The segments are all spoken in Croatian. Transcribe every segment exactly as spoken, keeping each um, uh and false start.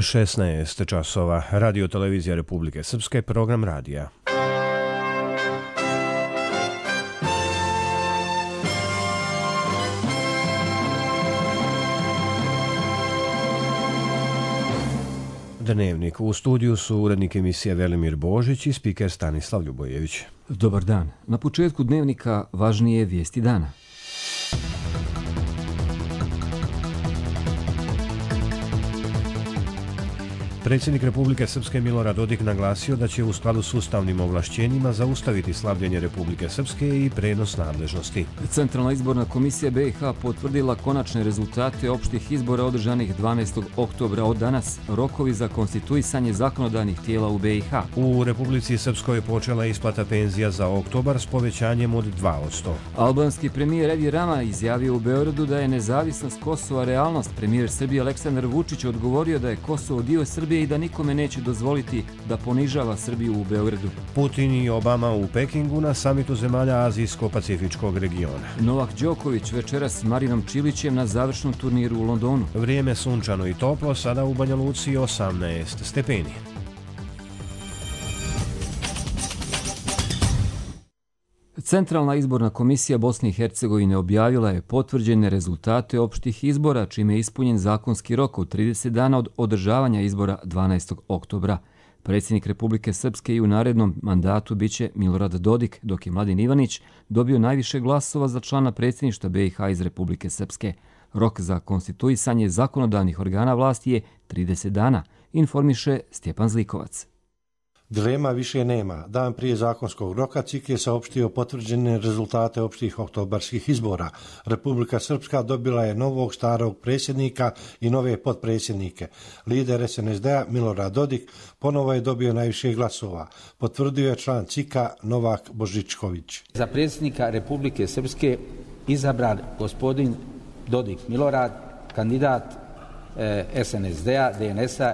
šesnaest časova. Radio televizija Republike Srpske, program radija. Dnevnik. U studiju su urednik emisije Velimir Božić i spiker Stanislav Ljubojević. Dobar dan. Na početku dnevnika važnije vijesti dana. Predsjednik Republike Srpske Milorad Dodik naglasio da će u skladu s ustavnim ovlašćenjima zaustaviti slabljenje Republike Srpske i prenos nadležnosti. Centralna izborna komisija B i H potvrdila konačne rezultate opštih izbora održanih dvanaestog oktobra od danas. Rokovi za konstituisanje zakonodavnih tijela u B i H. U Republici Srpskoj počela isplata penzija za oktobar s povećanjem od dva posto. Albanski premijer Edi Rama izjavio u Beogradu da je nezavisnost Kosova realnost. Premijer Srbije Aleksandar Vučić odgovorio da je Kosovo dio Srbije i da nikome neće dozvoliti da ponižava Srbiju u Beogradu. Putin i Obama u Pekingu na samitu zemalja Azijsko-Pacifičkog regiona. Novak Đoković večeras s Marinom Čilićem na završnom turniru u Londonu. Vrijeme sunčano i toplo, sada u Banja Luci osamnaest stepeni. Centralna izborna komisija Bosne i Hercegovine objavila je potvrđene rezultate opštih izbora, čime je ispunjen zakonski rok od trideset dana od održavanja izbora dvanaestog oktobra. Predsjednik Republike Srpske i u narednom mandatu biće Milorad Dodik, dok je Mladen Ivanić dobio najviše glasova za člana predsjedništva B i H iz Republike Srpske. Rok za konstituisanje zakonodavnih organa vlasti je trideset dana, informiše Stjepan Zlikovac. Dilema više nema. Dan prije zakonskog roka C I K je saopštio potvrđene rezultate opštih oktobarskih izbora. Republika Srpska dobila je novog starog predsjednika i nove potpredsjednike. Lider S N S D-a Milorad Dodik ponovo je dobio najviše glasova. Potvrdio je član C I K-a Novak Božičković. Za predsjednika Republike Srpske izabran gospodin Dodik Milorad, kandidat S N S D-a, D N S-a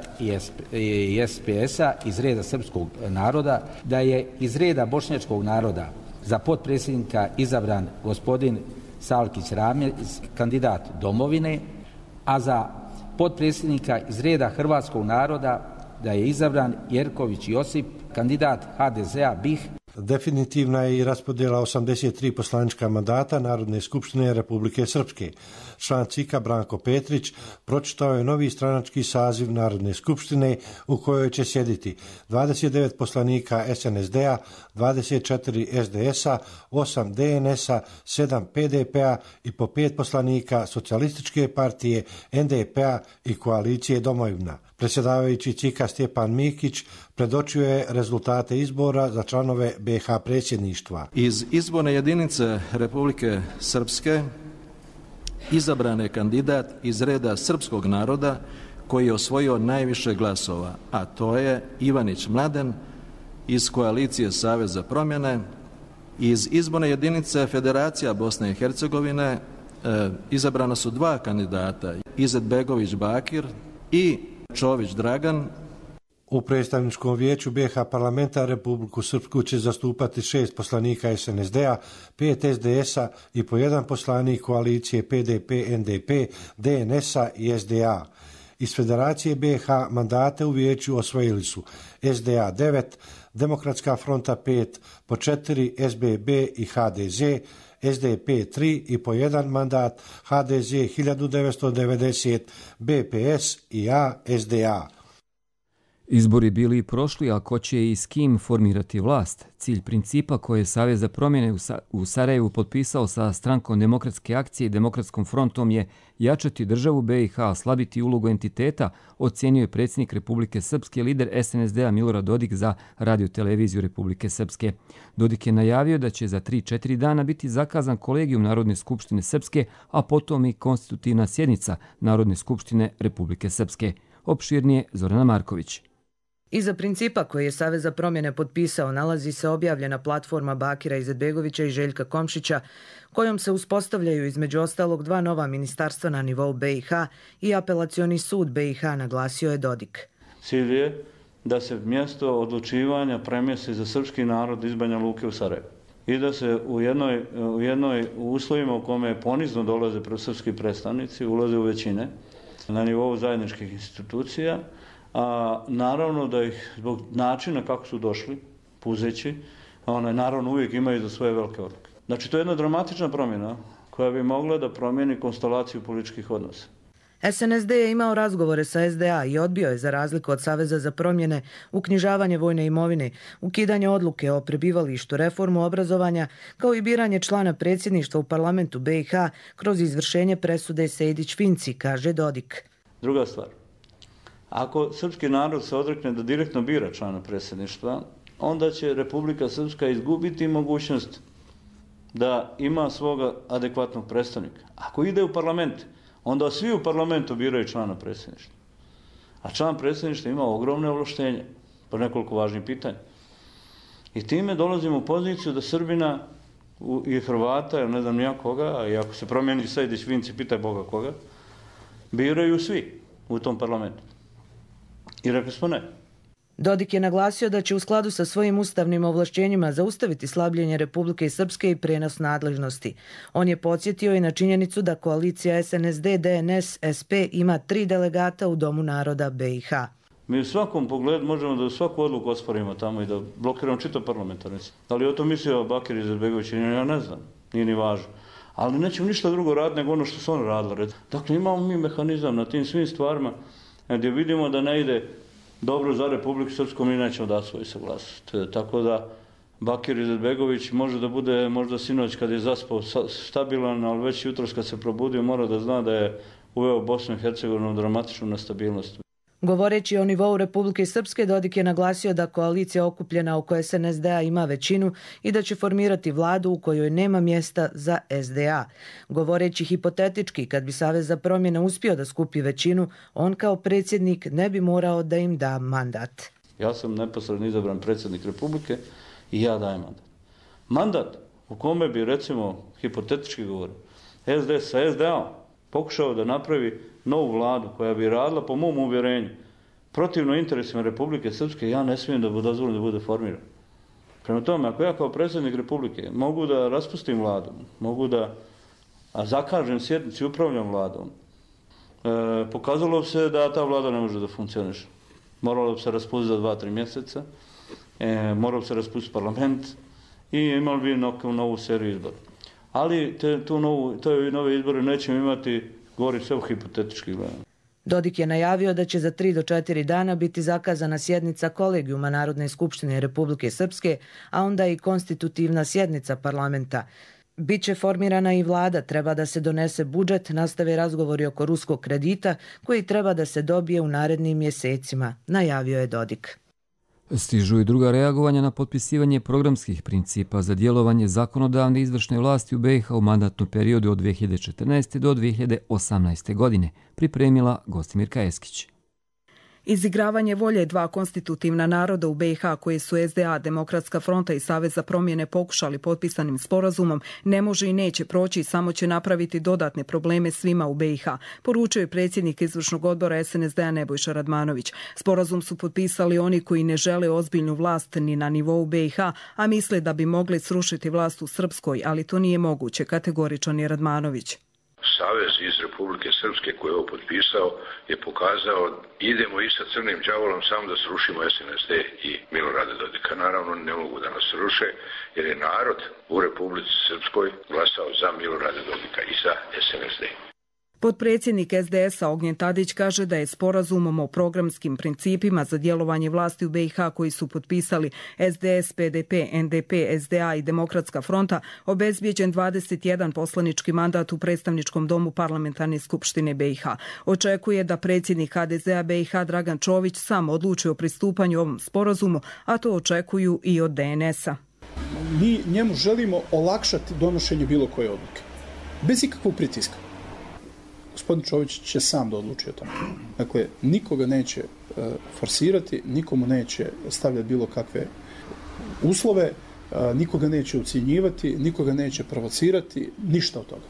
i S P S-a iz reda srpskog naroda, da je iz reda bošnjačkog naroda za potpredsjednika izabran gospodin Salkić Ramil, kandidat Domovine, a za potpredsjednika iz reda hrvatskog naroda da je izabran Jerković Josip, kandidat H D Z-a B i H. Definitivna je i raspodjela osamdeset tri poslanička mandata Narodne skupštine Republike Srpske. Član C I K-a Branko Petrić pročitao je novi stranački saziv Narodne skupštine u kojoj će sjediti dvadeset devet poslanika S N S D-a, dvadeset četiri S D S-a, osam D N S-a, sedam P D P-a i po pet poslanika Socijalističke partije, N D P-a i koalicije Domovina. Predsjedavajući C I K-a Stjepan Mikić predočio je rezultate izbora za članove B i H predsjedništva. Iz izborne jedinice Republike Srpske izabran je kandidat iz reda srpskog naroda koji je osvojio najviše glasova, a to je Ivanić Mladen iz koalicije Savez za promjene. Iz izborne jedinice Federacija Bosne i Hercegovine e, izabrana su dva kandidata, Izetbegović Bakir i Čović Dragan. U predstavničkom vijeću B i H parlamenta Republiku Srpsku će zastupati šest poslanika S N S D-a, pet S D S-a i po jedan poslanik koalicije P D P, N D P, D N S-a i S D A. Iz Federacije B i H mandate u vijeću osvojili su S D A devet, Demokratska fronta pet, po četiri S B B i H D Z, S D P tri i po jedan mandat, H D Z hiljadu devetsto devedeset, B P S i A S D A. Izbori bili i prošli, a ko će i s kim formirati vlast? Cilj principa koje je Savez za promjene u Sarajevu potpisao sa strankom Demokratske akcije i Demokratskom frontom je jačati državu B i H, slabiti ulogu entiteta, ocjenio je predsjednik Republike Srpske, lider S N S D-a Milorad Dodik za radio televiziju Republike Srpske. Dodik je najavio da će za tri četiri dana biti zakazan kolegijum Narodne skupštine Srpske, a potom i konstitutivna sjednica Narodne skupštine Republike Srpske. Opširnije Zorana Marković. Iza principa koji je Savez za promjene potpisao nalazi se objavljena platforma Bakira Izetbegovića i Željka Komšića, kojom se uspostavljaju između ostalog dva nova ministarstva na nivou B i H i apelacioni sud B i H, naglasio je Dodik. Cilj je da se mjesto odlučivanja premjesti za srpski narod iz Banja Luke u Sarajevo i da se u jednoj, u jednoj uslovima u kome ponizno dolaze srpski predstavnici, ulaze u većine na nivou zajedničkih institucija, a naravno da ih zbog načina kako su došli, puzeći, one naravno uvijek imaju za svoje velike odluke. Znači to je jedna dramatična promjena koja bi mogla da promijeni konstelaciju političkih odnosa. S N S D je imao razgovore sa S D A i odbio je, za razliku od Saveza za promjene, uknjižavanje vojne imovine, ukidanje odluke o prebivalištu, reformu obrazovanja, kao i biranje člana predsjedništva u parlamentu B i H kroz izvršenje presude Sejdić-Finci, kaže Dodik. Druga stvar, ako srpski narod se odrekne da direktno bira člana predsjedništva, onda će Republika Srpska izgubiti mogućnost da ima svoga adekvatnog predstavnika. Ako ide u parlament, onda svi u parlamentu biraju člana predsjedništva. A član predsjedništva ima ogromne ovlaštenje po nekoliko važnih pitanja. I time dolazimo u poziciju da Srbina i Hrvata, ili ne znam nija koga, a i ako se promijeni Sejdić-Finci, pitaj Boga koga, biraju svi u tom parlamentu. I rekli smo ne. Dodik je naglasio da će u skladu sa svojim ustavnim ovlašćenjima zaustaviti slabljenje Republike Srpske i prenos nadležnosti. On je podsjetio i na činjenicu da koalicija S N S D, D N S, S P ima tri delegata u Domu naroda B i H. Mi u svakom pogledu možemo da svaku odluku osporimo tamo i da blokiramo čitav parlamentarni. Da li o to mislio Bakir Izetbegović, ja ne znam, nije ni važno. Ali nećemo ništa drugo raditi nego ono što su oni radili. Dakle, imamo mi mehanizam na tim svim stvarima gdje vidimo da ne ide dobro za Republiku Srpsku, mi nećemo dati svoju saglasnost. Tako da Bakir Izetbegović može da bude možda sinoć kad je zaspao stabilan, ali već jutros kad se probudio mora da zna da je uveo Bosnu i Hercegovinu dramatičnu nestabilnost. Govoreći o nivou Republike Srpske, Dodik je naglasio da koalicija okupljena oko S N S D A ima većinu i da će formirati vladu u kojoj nema mjesta za S D A. Govoreći hipotetički, kad bi Savez za promjene uspio da skupi većinu, on kao predsjednik ne bi morao da im da mandat. Ja sam neposredno izabran predsjednik Republike i ja dajem mandat. Mandat u kome bi, recimo, hipotetički govorio, S D sa S D A pokušao da napravi novu vladu koja bi radila, po mom uvjerenju, protivno interesima Republike Srpske, ja ne smijem da dozvolim da bude formiran. Prema tome, ako ja kao predsjednik Republike mogu da raspustim vladu, mogu da zakažem sjednicu i upravljam vladom, e, pokazalo bi se da ta vlada ne može da funkcioniše. Moralo bi se raspustiti za dva, tri mjeseca, e, moralo bi se raspustiti parlament i imali bi neku novu seriju izbora. Ali te, tu novu, te nove izbore nećemo imati, govori sve u hipotetički gledano. Dodik je najavio da će za tri do četiri dana biti zakazana sjednica kolegijuma Narodne skupštine Republike Srpske, a onda i konstitutivna sjednica parlamenta. Biće formirana i vlada, treba da se donese budžet, nastave razgovori oko ruskog kredita koji treba da se dobije u narednim mjesecima, najavio je Dodik. Stižu i druga reagovanja na potpisivanje programskih principa za djelovanje zakonodavne izvršne vlasti u B i H u mandatnom periodu od dvije hiljade četrnaeste. do dvije hiljade osamnaeste. godine, pripremila Gostimirka Eskić. Izigravanje volje dva konstitutivna naroda u B i H koje su S D A, Demokratska fronta i Savez za promjene pokušali potpisanim sporazumom ne može i neće proći, samo će napraviti dodatne probleme svima u B i H, poručio je predsjednik izvršnog odbora S N S D A Nebojša Radmanović. Sporazum su potpisali oni koji ne žele ozbiljnu vlast ni na nivou B i H, a misle da bi mogli srušiti vlast u Srpskoj, ali to nije moguće, kategoričan je Radmanović. Savez iz Republike Srpske koji je ovo potpisao je pokazao idemo i sa crnim đavolom samo da srušimo S N S D i Milorada Dodika. Naravno ne mogu da nas sruše jer je narod u Republici Srpskoj glasao za Milorada Dodika i za S N S D. Potpredsjednik S D S-a Ognjen Tadić kaže da je sporazumom o programskim principima za djelovanje vlasti u B i H koji su potpisali S D S, P D P, N D P, S D A i Demokratska fronta obezbijeđen dvadeset jedan poslanički mandat u predstavničkom domu Parlamentarne skupštine B i H. Očekuje da predsjednik H D Z A B i H Dragan Čović sam odluči o pristupanju ovom sporazumu, a to očekuju i od D N S-a. Mi njemu želimo olakšati donošenje bilo koje odluke, bez ikakvog pritiska. Gospodin Čović će sam da odluči o tome. Dakle, nikoga neće uh, forsirati, nikomu neće stavljati bilo kakve uslove, uh, nikoga neće ucijenjivati, nikoga neće provocirati, ništa od toga.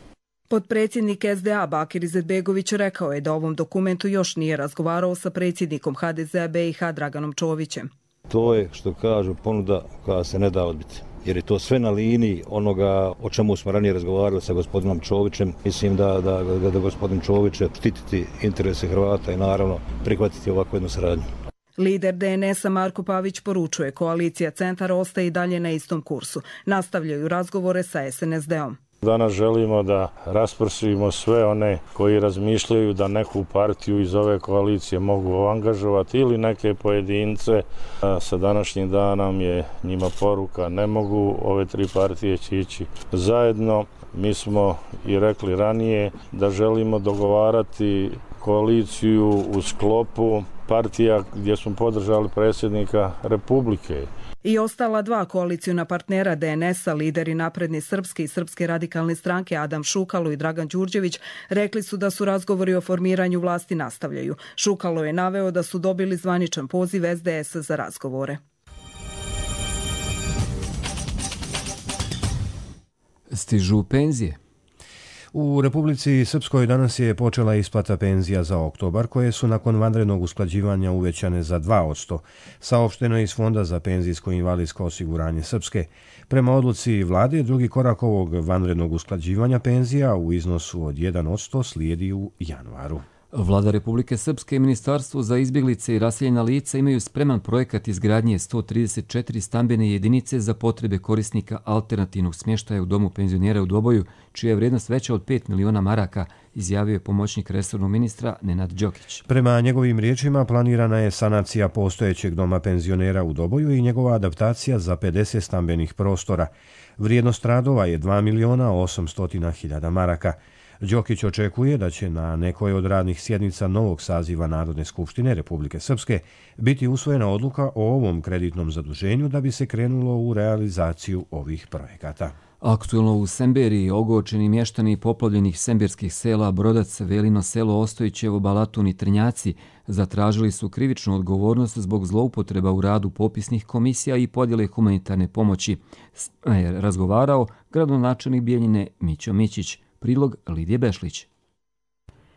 Potpredsjednik S D A Bakir Izetbegović rekao je da ovom dokumentu još nije razgovarao sa predsjednikom H D Z A B i H Draganom Čovićem. To je, što kažu, ponuda koja se ne da odbiti. jer je to sve na liniji onoga o čemu smo ranije razgovarali sa gospodinom Čovićem. Mislim da, da, da, da gospodin Čović će štititi interese Hrvata i naravno prihvatiti ovakvu jednu saradnju. Lider D N S-a Marko Pavić poručuje, koalicija Centar ostaje i dalje na istom kursu. Nastavljaju razgovore sa S N S D-om. Danas želimo da raspršimo sve one koji razmišljaju da neku partiju iz ove koalicije mogu angažovati ili neke pojedince. Sa današnjim danom je njima poruka, ne mogu, ove tri partije će ići zajedno. Mi smo i rekli ranije da želimo dogovarati koaliciju u sklopu partija gdje smo podržali predsjednika Republike. I ostala dva koalicijuna partnera D N S-a, lideri Napredni srpski i Srpske radikalne stranke Adam Šukalo i Dragan Đurđević, rekli su da su razgovori o formiranju vlasti nastavljaju. Šukalo je naveo da su dobili zvaničan poziv S D S-a za razgovore. Stižu penzije. U Republici Srpskoj danas je počela isplata penzija za oktobar, koje su nakon vanrednog usklađivanja uvećane za dva posto. Saopšteno je iz Fonda za penzijsko i invalidsko osiguranje Srpske. Prema odluci vlade, drugi korak ovog vanrednog usklađivanja penzija u iznosu od jedan posto slijedi u januaru. Vlada Republike Srpske i Ministarstvo za izbjeglice i raseljena lica imaju spreman projekat izgradnje sto trideset četiri stambene jedinice za potrebe korisnika alternativnog smještaja u domu penzionera u Doboju, čija je vrijednost veća od pet miliona maraka, izjavio je pomoćnik resornog ministra Nenad Đokić. Prema njegovim riječima planirana je sanacija postojećeg doma penzionera u Doboju i njegova adaptacija za pedeset stambenih prostora. Vrijednost radova je dva miliona osamsto hiljada maraka. Đokić očekuje da će na nekoj od radnih sjednica novog saziva Narodne skupštine Republike Srpske biti usvojena odluka o ovom kreditnom zaduženju da bi se krenulo u realizaciju ovih projekata. Aktuelno u Semberiji ogorčeni mještani poplavljenih semberskih sela Brodac, Velino selo, Ostojićevo, Balatun i Trnjaci zatražili su krivičnu odgovornost zbog zloupotreba u radu popisnih komisija i podjele humanitarne pomoći. Je razgovarao gradonačelnik Bijeljine Mićo Mićić. Prilog Lidije Bešlić.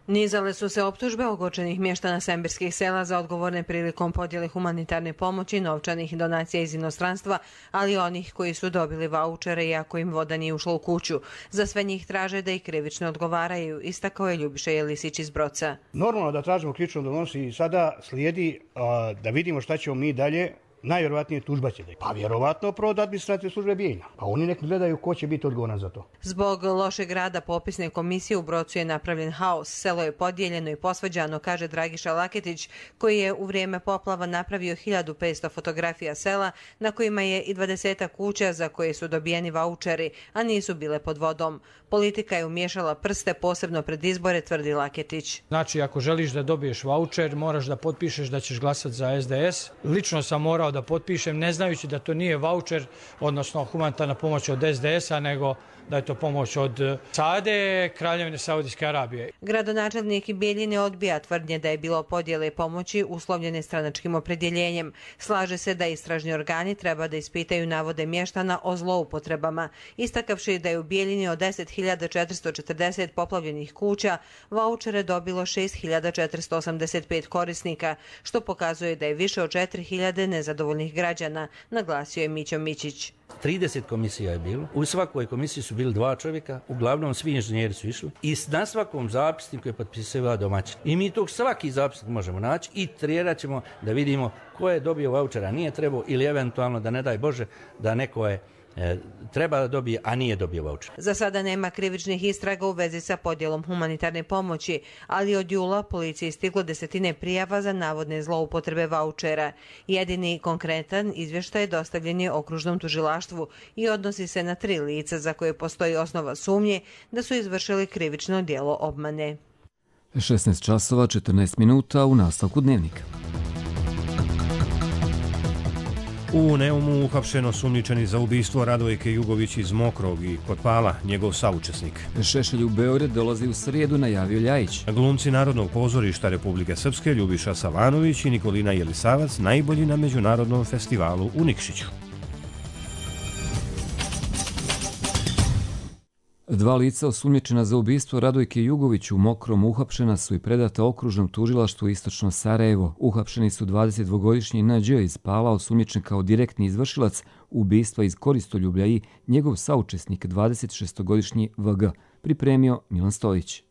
Nizale su se optužbe ogorčenih mještana semberskih sela za odgovorne prilikom podjele humanitarne pomoći, novčanih donacija iz inostranstva, ali onih koji su dobili vaučere iako im voda nije ušla u kuću. Za sve njih traže da i krivično odgovaraju, istakao je Ljubiša Jelisić iz Broca. Normalno da tražimo krivično odgovornost i sada slijedi a, da vidimo šta ćemo mi dalje. Najvjerovatnije tužba će da je. Pa vjerovatno prvo od administrativne službe Bijeljina. Pa oni nek gledaju ko će biti odgovoran za to. Zbog lošeg rada popisne komisije u Brocu je napravljen haos. Selo je podijeljeno i posvađano, kaže Dragiša Laketić, koji je u vrijeme poplava napravio hiljadu petsto fotografija sela na kojima je i dvadesetak kuća za koje su dobijeni vaučeri, a nisu bile pod vodom. Politika je umiješala prste posebno pred izbore, tvrdi Laketić. Znači, ako želiš da dobiješ vaučer, moraš da potpišeš da ćeš glasati za S D S. Lično sam morao da potpišem, ne znajući da to nije vaučer, odnosno humanitarna pomoć od S D S-a, nego da je to pomoć od Sade, Kraljevine Saudijske Arabije. Gradonačelnik Bijeljine odbija tvrdnje da je bilo podjele pomoći uslovljene stranačkim opredjeljenjem. Slaže se da istražni organi treba da ispitaju navode mještana o zloupotrebama, istakavši da je u Bijeljini od deset hiljada četiristo četrdeset poplavljenih kuća vaučere dobilo šest hiljada četiristo osamdeset pet korisnika, što pokazuje da je više od četiri hiljade nezadovoljnih građana, naglasio je Mićo Mićić. trideset komisija je bilo. U svakoj komisiji su bili dva čovjeka, uglavnom svi inženjeri su išli i na svakom zapisniku je potpisivao domaćin. I mi tog svaki zapisnik možemo naći i trijerat ćemo da vidimo ko je dobio vaučera, nije trebao ili eventualno da ne daj Bože da neko je E, treba da dobije, a nije dobio vaučer. Za sada nema krivičnih istraga u vezi sa podjelom humanitarne pomoći, ali od jula policiji stiglo desetine prijava za navodne zloupotrebe vaučera. Jedini konkretan izvještaj dostavljen je okružnom tužilaštvu i odnosi se na tri lica za koje postoji osnova sumnje da su izvršili krivično djelo obmane. šesnaest časova četrnaest minuta u nastavku dnevnika. U Neumu uhapšen osumnjičeni za ubistvo Radojke Jugović iz Mokrog i Kotpala, njegov saučesnik. Šešelj u Beograd dolazi u srijedu, najavio Ljajić. Glumci Narodnog pozorišta Republike Srpske Ljubiša Savanović i Nikolina Jelisavac najbolji na Međunarodnom festivalu u Nikšiću. Dva lica osumnjičena za ubistvo Radojke Jugović u Mokrom uhapšena su i predata okružnom tužilaštvu Istočno Sarajevo. Uhapšeni su dvadesetdvogodišnji N Đ iz Pala, osumnjičen kao direktni izvršilac ubistva iz Koristoljublja i njegov saučesnik dvadesetšestogodišnji V G, pripremio Milan Stojić.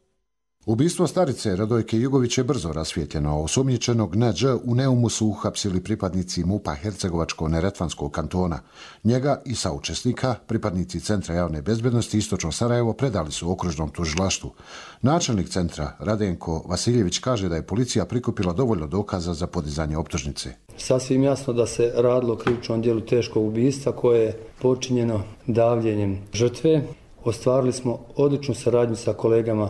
Ubistvo starice Radojke Jugović je brzo rasvijetljeno. Osumnjičenog N Đ u Neumu su uhapsili pripadnici MUP-a Hercegovačko-Neretvanskog kantona. Njega i saučesnika, pripadnici Centra javne bezbednosti Istočno Sarajevo, predali su okružnom tužilaštvu. Načelnik centra Radenko Vasiljević kaže da je policija prikupila dovoljno dokaza za podizanje optužnice. Sasvim jasno da se radilo o krivičnom djelu teškog ubistva koje je počinjeno davljenjem žrtve. Ostvarili smo odličnu saradnju sa kolegama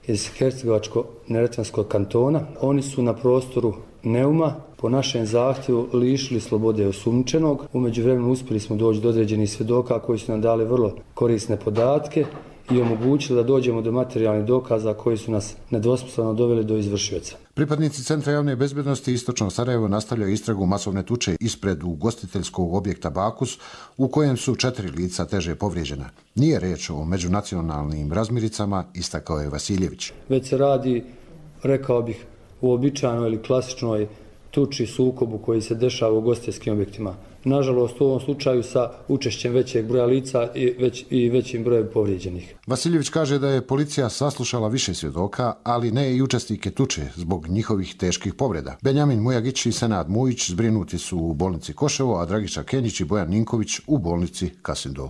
iz Hercegovačko-Neretvanskog kantona. Oni su na prostoru Neuma po našem zahtjevu lišili slobode osumnjičenog. U međuvremenu uspjeli smo doći do određenih svjedoka koji su nam dali vrlo korisne podatke i omogućili da dođemo do materijalnih dokaza koji su nas nedvosmisleno doveli do izvršioca. Pripadnici Centra javne bezbednosti Istočno Sarajevo nastavljaju istragu masovne tuče ispred ugostiteljskog objekta Bakus, u kojem su četiri lica teže povrijeđena. Nije reč o međunacionalnim razmiricama, istakao je Vasiljević. Već se radi, rekao bih, uobičajenoj ili klasičnoj tuči sukobu koji se dešava u ugostiteljskim objektima. Nažalost, u ovom slučaju sa učešćem većeg broja lica i, već, i većim brojem povrijeđenih. Vasiljević kaže da je policija saslušala više svjedoka, ali ne i učesnike tuče zbog njihovih teških povreda. Benjamin Mujagić i Senad Mujić zbrinuti su u bolnici Koševo, a Dragiša Kenjić i Bojan Ninković u bolnici Kasindol.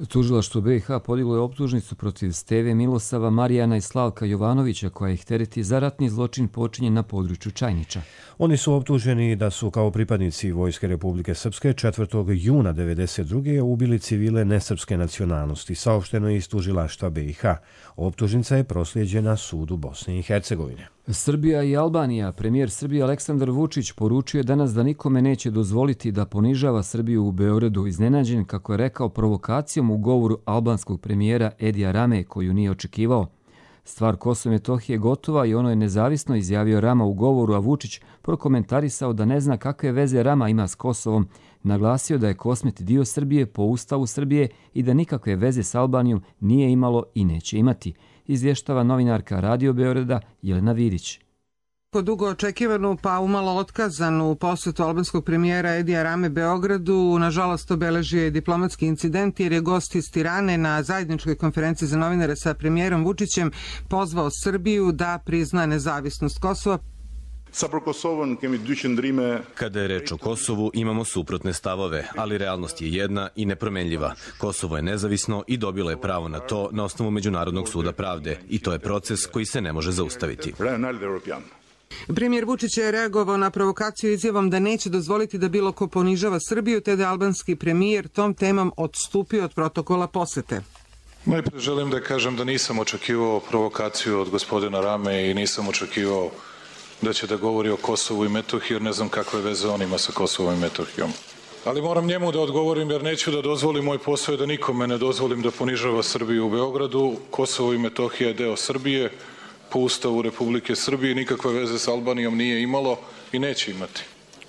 Tužilaštvo B i H podiglo je optužnicu protiv Steve Milosava, Marijana i Slavka Jovanovića, koja ih tereti za ratni zločin počinjen na području Čajniča. Oni su optuženi da su kao pripadnici Vojske Republike Srpske četvrtog juna devedeset druge ubili civile nesrpske nacionalnosti, saopšteno je iz tužilaštva B i H. Optužnica je proslijeđena sudu Bosne i Hercegovine. Srbija i Albanija. Premijer Srbije Aleksandar Vučić poručio je danas da nikome neće dozvoliti da ponižava Srbiju u Beogradu, iznenađen, kako je rekao, provokacijom u govoru albanskog premijera Edija Rame, koju nije očekivao. Stvar Kosova i Metohije je gotova i ono je nezavisno, izjavio Rama u govoru, a Vučić prokomentarisao da ne zna kakve veze Rama ima s Kosovom. Naglasio da je Kosmet dio Srbije po Ustavu Srbije i da nikakve veze s Albanijom nije imalo i neće imati, izvještava novinarka Radio Beograda Jelena Vidić. Dugo očekivanu pa umalo otkazanu posjetu albanskog premijera Edija Rame Beogradu nažalost obeležio je diplomatski incident jer je gost iz Tirane na zajedničkoj konferenciji za novinare sa premijerom Vučićem pozvao Srbiju da prizna nezavisnost Kosova. Kada je reč o Kosovu, imamo suprotne stavove, ali realnost je jedna i nepromenljiva. Kosovo je nezavisno i dobilo je pravo na to na osnovu Međunarodnog suda pravde i to je proces koji se ne može zaustaviti. Premijer Vučić je reagovao na provokaciju izjavom da neće dozvoliti da bilo ko ponižava Srbiju, te da je albanski premijer tom temom odstupio od protokola posete. Najprije želim da kažem da nisam očekivao provokaciju od gospodina Rame i nisam očekivao da će da govori o Kosovu i Metohiji, jer ne znam kakve veze on ima sa Kosovom i Metohijom. Ali moram njemu da odgovorim, jer neću da dozvolim, moj posao je da nikome ne dozvolim da ponižava Srbiju u Beogradu. Kosovo i Metohija je deo Srbije, po Ustavu Republike Srbije, nikakve veze s Albanijom nije imalo i neće imati.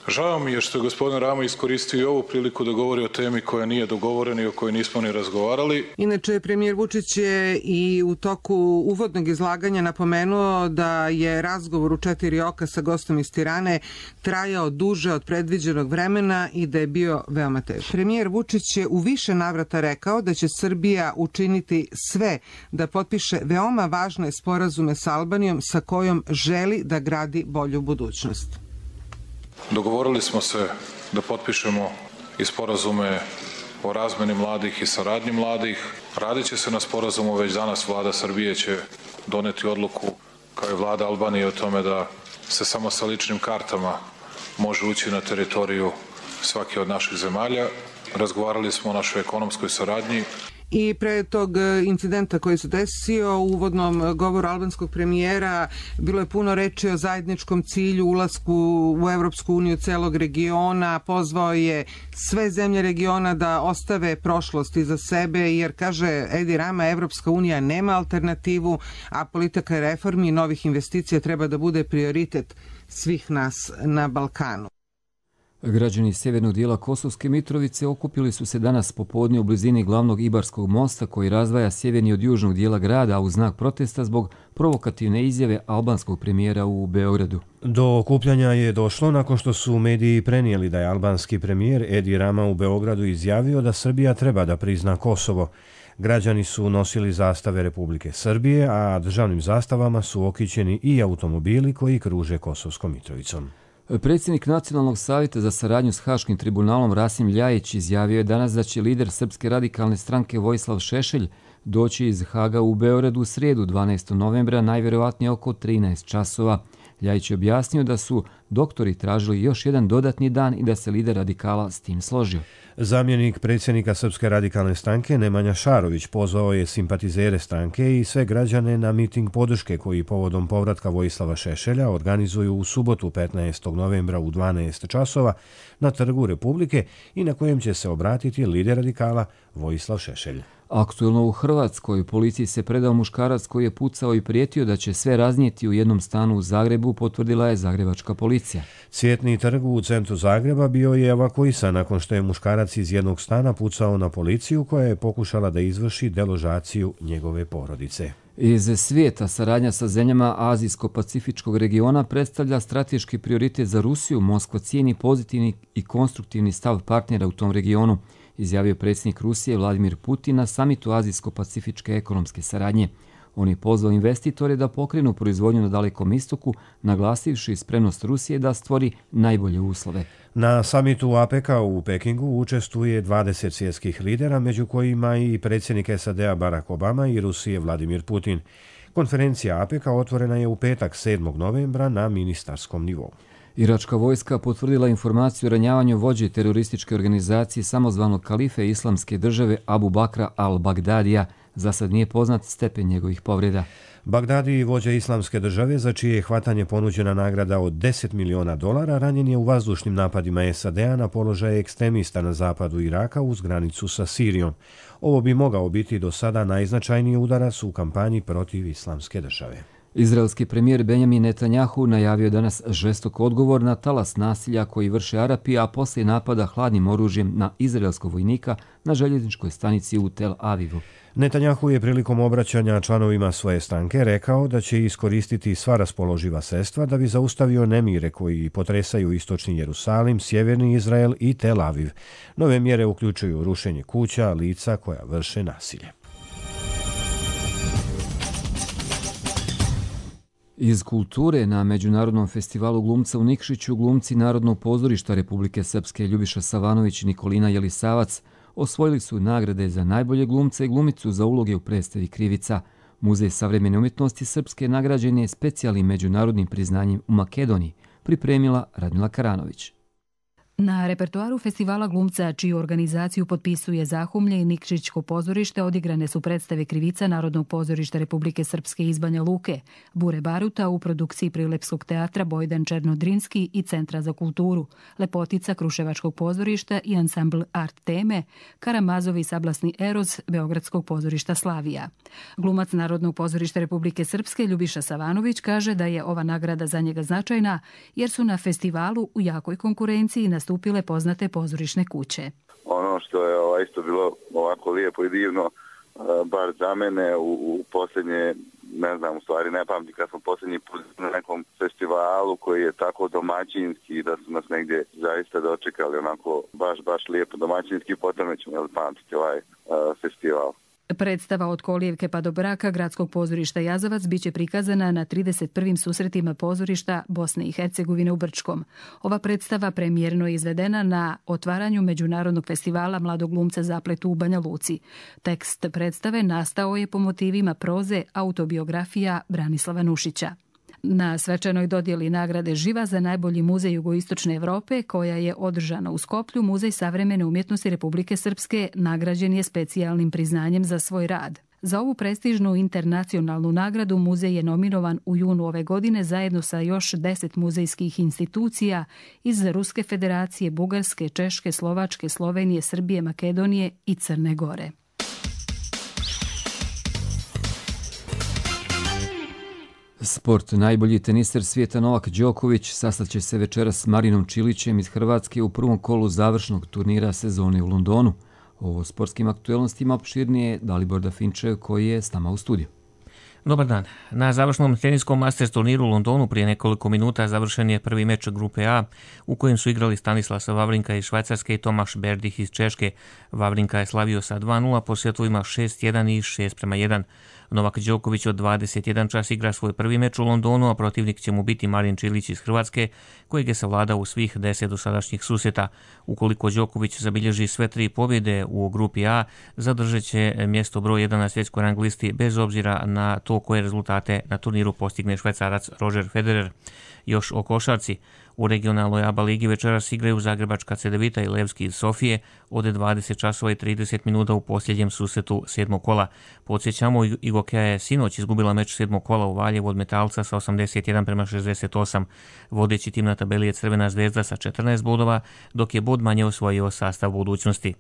Žao mi je što je gospodin Rama iskoristio i ovu priliku da govori o temi koja nije dogovorena i o kojoj nismo ni razgovarali. Inače, premijer Vučić je i u toku uvodnog izlaganja napomenuo da je razgovor u četiri oka sa gostom iz Tirane trajao duže od predviđenog vremena i da je bio veoma težak. Premijer Vučić je u više navrata rekao da će Srbija učiniti sve da potpiše veoma važne sporazume sa Albanijom sa kojom želi da gradi bolju budućnost. Dogovorili smo se da potpišemo i sporazume o razmeni mladih i saradnji mladih. Radit će se na sporazumu, već danas vlada Srbije će doneti odluku kao i vlada Albanije o tome da se samo sa ličnim kartama može ući na teritoriju svake od naših zemalja. Razgovarali smo o našoj ekonomskoj saradnji. I pre tog incidenta koji se desio u uvodnom govoru albanskog premijera bilo je puno reči o zajedničkom cilju, ulasku u Evropsku uniju celog regiona, pozvao je sve zemlje regiona da ostave prošlost iza sebe, jer, kaže Edi Rama, Evropska unija nema alternativu, a politika reformi i novih investicija treba da bude prioritet svih nas na Balkanu. Građani sjevernog dijela Kosovske Mitrovice okupili su se danas popodne u blizini glavnog Ibarskog mosta koji razdvaja sjeverni od južnog dijela grada, a u znak protesta zbog provokativne izjave albanskog premijera u Beogradu. Do okupljanja je došlo nakon što su mediji prenijeli da je albanski premijer Edi Rama u Beogradu izjavio da Srbija treba da prizna Kosovo. Građani su nosili zastave Republike Srbije, a državnim zastavama su okićeni i automobili koji kruže Kosovskom Mitrovicom. Predsjednik Nacionalnog savjeta za saradnju s Haškim tribunalom Rasim Ljajić izjavio je danas da će lider Srpske radikalne stranke Vojislav Šešelj doći iz Haga u Beogradu u srijedu dvanaestog novembra, najvjerovatnije oko trinaest časova. Ljajić je objasnio da su doktori tražili još jedan dodatni dan i da se lider radikala s tim složio. Zamjenik predsjednika Srpske radikalne stranke Nemanja Šarović pozvao je simpatizere stranke i sve građane na miting podrške koji povodom povratka Vojislava Šešelja organizuju u subotu petnaestog novembra u dvanaest časova na Trgu Republike i na kojem će se obratiti lider radikala Vojislav Šešelj. Aktuelno u Hrvatskoj policiji se predao muškarac koji je pucao i prijetio da će sve raznijeti u jednom stanu u Zagrebu, potvrdila je zagrebačka policija. Cvjetni trg u centru Zagreba bio je evakuisan nakon što je muškarac iz jednog stana pucao na policiju koja je pokušala da izvrši deložaciju njegove porodice. Iz svijeta saradnja sa zemljama Azijsko-Pacifičkog regiona predstavlja strateški prioritet za Rusiju. Moskva cijeni pozitivni i konstruktivni stav partnera u tom regionu, izjavio predsjednik Rusije Vladimir Putin na samitu Azijsko-Pacifičke ekonomske saradnje. On je pozvao investitore da pokrenu proizvodnju na Dalekom istoku, naglasivši spremnost Rusije da stvori najbolje uslove. Na samitu APEC-a u Pekingu učestvuje dvadeset svjetskih lidera, među kojima i predsjednik S A D-a Barack Obama i Rusije Vladimir Putin. Konferencija APEC-a otvorena je u petak sedmog novembra na ministarskom nivou. Iračka vojska potvrdila informaciju o ranjavanju vođe terorističke organizacije samozvanog kalife Islamske države Abu Bakra al-Bagdadija. Za sad nije poznat stepen njegovih povreda. Bagdadi, vođa Islamske države, za čije je hvatanje ponuđena nagrada od deset miliona dolara, ranjen je u vazdušnim napadima S A D-a na položaje ekstremista na zapadu Iraka uz granicu sa Sirijom. Ovo bi mogao biti do sada najznačajniji udarac u kampanji protiv Islamske države. Izraelski premijer Benjamin Netanjahu najavio danas žestok odgovor na talas nasilja koji vrše Arapi, a poslije napada hladnim oružjem na izraelskog vojnika na željezničkoj stanici u Tel Avivu. Netanjahu je prilikom obraćanja članovima svoje stranke rekao da će iskoristiti sva raspoloživa sredstva da bi zaustavio nemire koji potresaju istočni Jerusalim, sjeverni Izrael i Tel Aviv. Nove mjere uključuju rušenje kuća, lica koja vrše nasilje. Iz kulture na Međunarodnom festivalu glumca u Nikšiću glumci Narodnog pozorišta Republike Srpske Ljubiša Savanović i Nikolina Jelisavac osvojili su nagrade za najbolje glumca i glumicu za uloge u predstavi Krivica. Muzej savremene umjetnosti Srpske nagrađen je specijalnim međunarodnim priznanjem u Makedoniji, pripremila Radmila Karanović. Na repertoaru festivala glumca, čiju organizaciju potpisuje Zahumlje i Nikšićko pozorište, odigrane su predstave Krivica Narodnog pozorišta Republike Srpske iz Banja Luke, Bure Baruta u produkciji Prilepskog teatra Bojdan Černodrinski i Centra za kulturu, Lepotica Kruševačkog pozorišta i ansambl Art Teme, Karamazovi sablasni Eroz Beogradskog pozorišta Slavija. Glumac Narodnog pozorišta Republike Srpske Ljubiša Savanović kaže da je ova nagrada za njega značajna jer su na festivalu u jakoj konkurenciji na stupile poznate pozorišne kuće. Ono što je ovaj, isto bilo ovako lijepo i divno, bar za mene u, u posljednje, ne znam, u stvari ne pamtim kad smo posljednji put na nekom festivalu koji je tako domaćinski da su nas negdje zaista dočekali onako baš, baš lijepo domaćinski, potom ćemo jel, pamtiti ovaj uh, festival. Predstava Od kolijevke pa do braka Gradskog pozorišta Jazavac biće prikazana na trideset prvim susretima pozorišta Bosne i Hercegovine u Brčkom. Ova predstava premijerno je izvedena na otvaranju Međunarodnog festivala mladog glumca Zapletu u Banja Luci. Tekst predstave nastao je po motivima proze autobiografija Branislava Nušića. Na svečanoj dodjeli nagrade Živa za najbolji muzej jugoistočne Evrope, koja je održana u Skoplju, Muzej savremene umjetnosti Republike Srpske nagrađen je specijalnim priznanjem za svoj rad. Za ovu prestižnu internacionalnu nagradu muzej je nominovan u junu ove godine zajedno sa još deset muzejskih institucija iz Ruske federacije, Bugarske, Češke, Slovačke, Slovenije, Srbije, Makedonije i Crne Gore. Sport. Najbolji teniser svijeta Novak Đoković sastaće se večeras s Marinom Čilićem iz Hrvatske u prvom kolu završnog turnira sezone u Londonu. O sportskim aktuelnostima opširnije Dalibor Dafinčev koji je s nama u studiju. Dobar dan. Na završnom teniskom Masters turniru u Londonu prije nekoliko minuta završen je prvi meč grupe A u kojem su igrali Stanislasa Wawrinka iz Švajcarske i Tomaš Berdych iz Češke. Wawrinka je slavio sa dva nula po setovima šest jedan i šest prema jedan. Novak Đoković od dvadeset jedan čas igra svoj prvi meč u Londonu, a protivnik će mu biti Marin Čilić iz Hrvatske, kojeg je savladao u svih deset dosadašnjih susjeta. Ukoliko Đoković zabilježi sve tri pobjede u grupi A, zadržat će mjesto broj jedan na svjetskoj rang listi bez obzira na to koje rezultate na turniru postigne Švajcarac Roger Federer. Još o košarci. U regionalnoj A B A ligi večeras igraju Zagrebačka Cedevita i Levski iz Sofije od dvadeset časova i trideset minuta u posljednjem susretu sedmog kola. Podsjećamo, Igokeja je sinoć izgubila meč sedmog kola u Valjevu od Metalca sa osamdeset jedan prema šezdeset osam. Vodeći tim na tabeli je Crvena zvezda sa četrnaest bodova, dok je bod manje osvojio Sastav Budućnosti.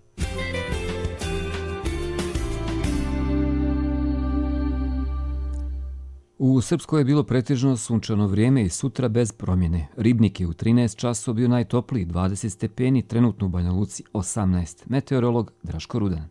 U Srpskoj je bilo pretežno sunčano vrijeme i sutra bez promjene. Ribnik je u trinaest časova bio najtopliji, dvadeset stepeni, trenutno u Banja Luci osamnaest. Meteorolog Draško Rudan.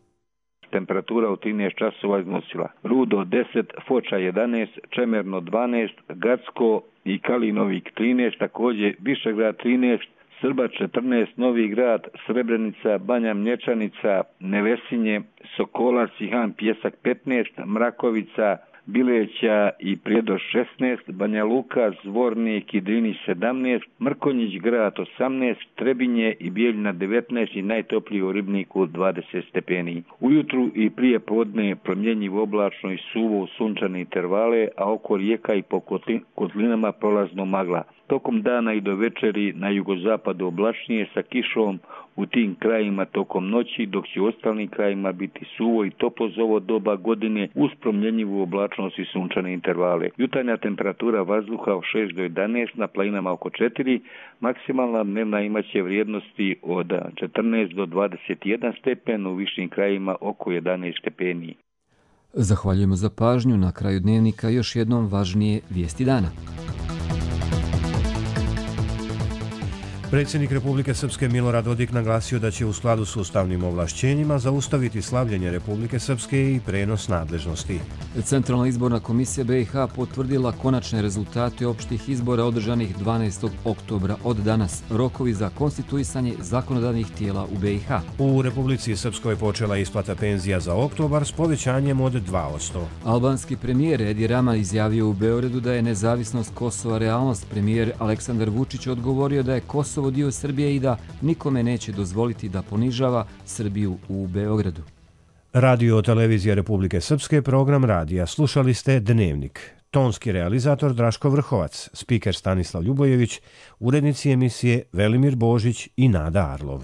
Temperatura u trinaest časova iznosila Rudo deset, Foča jedanaest, Čemerno dvanaest, Gacko i Kalinovik trinaest, također Višegrad trinaest, Srba četrnaest, Novi Grad, Srebrenica, Banja Mlječanica, Nevesinje, Sokolac i Han Pjesak petnaest, Mrakovica, Bileća i Prijedor šesnaest, Banja Luka, Zvornik i Drinić sedamnaest, Mrkonjić grad osamnaest, Trebinje i Bijeljina devetnaest i najtopliji u Ribniku dvadeset stepeni. Ujutru i prije podne promjenjivo oblačno i suvo sunčane intervale, a oko rijeka i po kotlinama prolazno magla. Tokom dana i do večeri na jugozapadu oblačnije sa kišom u tim krajima tokom noći, dok će u ostalim krajima biti suvo i toplo za ovo doba godine uz promjenjivu oblačnost i sunčane intervale. Jutarnja temperatura vazduha od šest do jedanaest, na planinama oko četiri, maksimalna dnevna imaće vrijednosti od četrnaest do dvadeset jedan stepen, u višim krajima oko jedanaest stepeni. Zahvaljujemo za pažnju. Na kraju dnevnika još jednom važnije vijesti dana. Predsjednik Republike Srpske Milorad Dodik naglasio da će u skladu s ustavnim ovlašćenjima zaustaviti slavljenje Republike Srpske i prenos nadležnosti. Centralna izborna komisija B i H potvrdila konačne rezultate opštih izbora održanih dvanaestog oktobra od danas. Rokovi za konstituisanje zakonodavnih tijela u B i H. U Republici Srpskoj počela isplata penzija za oktobar s povećanjem od dva posto. Albanski premijer Edi Rama izjavio u Beogradu da je nezavisnost Kosova realnost. Premijer Aleksandar Vučić odgovorio da je Kosovo dio Srbije i da nikome neće dozvoliti da ponižava Srbiju u Beogradu. Radio televizija Republike Srpske, program radija. Slušali ste Dnevnik. Tonski realizator Draško Vrhovac, spiker Stanislav Ljubojević, urednici emisije Velimir Božić i Nada Arlov.